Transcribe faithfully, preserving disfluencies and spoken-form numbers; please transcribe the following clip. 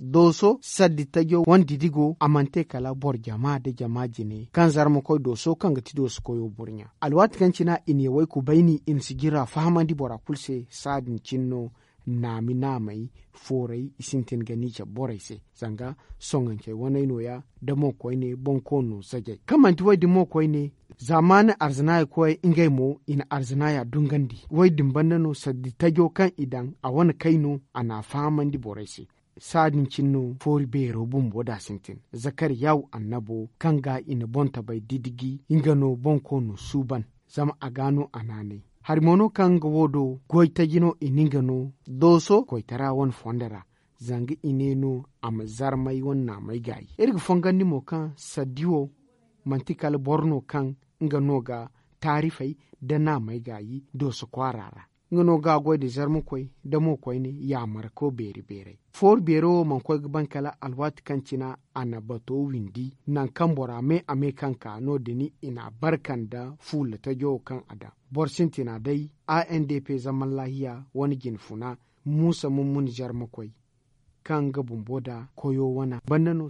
Dooso sardi tajo wane didigo a mana te kala boro jama nda jama jine kaŋ zarma koy dooso kaŋ ga ti dooso koyo burɲa. Alwaati kaŋ cina i na yawey kubayni i na sijira fahamandi bora kulu se saadin cine no. Naami naamey fooray i sintin ga ni cabe borey se. Zanga soŋancey waney nooya nda mo koyne boŋ koono zajay kaŋ manti woy din mo koyne. Zaamaani arzanaaya koyey ngey mo i na arzanaaya dungandi woy din banda no sardi tajo kaŋ i daŋ a wane kay no a n'a fahamandi borey se. Saadin cine no foori beero bumbo da sintin zakariyaw annabo kaŋ ga i na bontabay didiji nga no boŋ koono suuban. Zama a ga no a naanay hari mo no kaŋ nga wo do goytaji no i na nga no dooso koytara wane fondo ra. Zanga i ne no a ma zarmay wane naamay gaayi iri ga fongandi mo kaŋ sardi wo manti kala boro no kaŋ nga no ga taarifey nda naamey gaayi dooso kwaara ra. Nga no ga goy nda zarmakoy nda mo koyne yaamarako beeri beeray. Foori beero wo mana koy ga ban kala alwaati kaŋ cina a na bato windi nangu kaŋ bora me a me kaŋ ka no- din i n'a barka nda fuula tajo wo kaŋ a daŋ. Boro sintina day a n d p zaman laahiya wane jine funa muusa mummuni zarmakoy kaŋ nga bumbo nda koyo wane banda no.